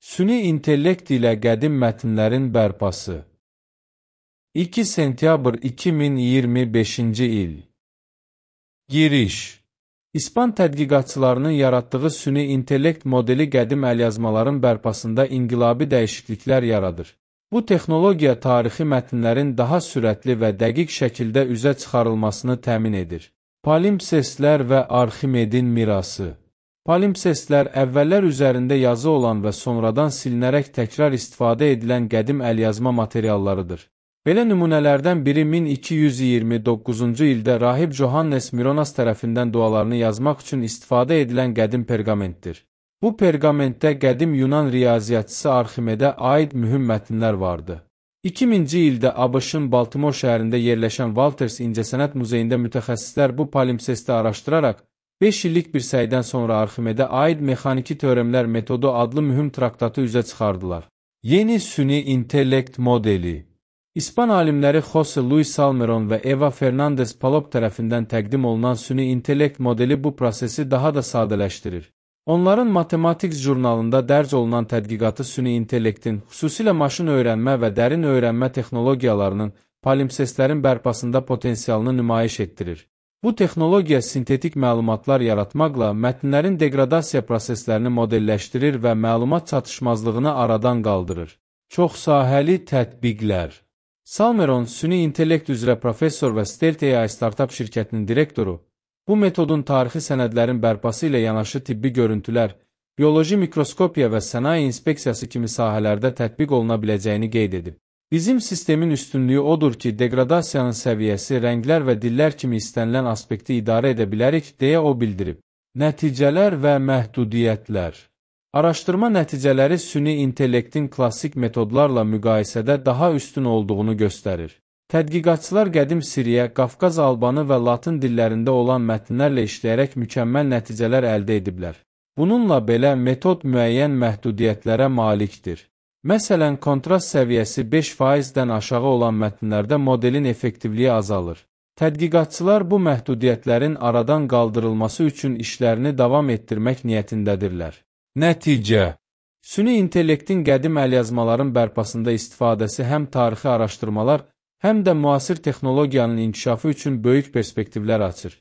Süni intellekt ilə qədim mətnlərin bərpası. 2 sentyabr 2025-ci il. Giriş. İspan tədqiqatçılarının yaratdığı süni intellekt modeli qədim əlyazmaların bərpasında inqilabi dəyişikliklər yaradır. Bu texnologiya tarixi mətnlərin daha sürətli və dəqiq şəkildə üzə çıxarılmasını təmin edir. Palimpsestlər və Arximedin mirası. Palimpsestlər əvvəllər üzərində yazı olan və sonradan silinərək təkrar istifadə edilən qədim əlyazma materiallarıdır. Belə nümunələrdən biri 1229-cu ildə rahib Johannes Mironas tərəfindən dualarını yazmaq üçün istifadə edilən qədim perqamentdir. Bu perqamentdə qədim Yunan riyaziyyatçısı Arximedə aid mühüm mətnlər vardı. 2000-ci ildə ABŞ-ın Baltimore şəhərində yerləşən Walters İncəsənət Muzeyində mütəxəssislər bu palimpsesti araşdıraraq 5 illik bir səydən sonra Arximedə aid mexaniki teoremlər metodu adlı mühüm traktatı üzə çıxardılar. Yeni süni intellekt modeli. İspan alimləri Jose Luis Salmeron və Eva Fernandez Palop tərəfindən təqdim olunan süni intellekt modeli bu prosesi daha da sadələşdirir. Onların Mathematics jurnalında dərc olunan tədqiqatı süni intellektin, xüsusilə maşın öyrənmə və dərin öyrənmə texnologiyalarının palimpsestlərin bərpasında potensialını nümayiş etdirir. Bu texnologiya sintetik məlumatlar yaratmaqla mətnlərin degradasiya proseslərini modelləşdirir və məlumat çatışmazlığını aradan qaldırır. Çoxsahəli tətbiqlər. Salmeron, süni intellekt üzrə professor və Stealth AI startup şirkətinin direktoru, bu metodun tarixi sənədlərin bərpası ilə yanaşı tibbi görüntülər, bioloji mikroskopiya və sənaye inspeksiyası kimi sahələrdə tətbiq oluna biləcəyini qeyd edib. Bizim sistemin üstünlüyü odur ki, degradasiyanın səviyyəsi, rənglər və dillər kimi istənilən aspekti idarə edə bilərik, deyə o bildirib. Nəticələr və məhdudiyyətlər. Araşdırma nəticələri süni intellektin klassik metodlarla müqayisədə daha üstün olduğunu göstərir. Tədqiqatçılar qədim Siriya, Qafqaz albanı və Latın dillərində olan mətnlərlə işləyərək mükəmməl nəticələr əldə ediblər. Bununla belə metod müəyyən məhdudiyyətlərə malikdir. Məsələn, kontrast səviyyəsi 5%-dən aşağı olan mətnlərdə modelin effektivliyi azalır. Tədqiqatçılar bu məhdudiyyətlərin aradan qaldırılması üçün işlərini davam etdirmək niyyətindədirlər. Nəticə. Süni intellektin qədim əlyazmaların bərpasında istifadəsi həm tarixi araşdırmalar, həm də müasir texnologiyanın inkişafı üçün böyük perspektivlər açır.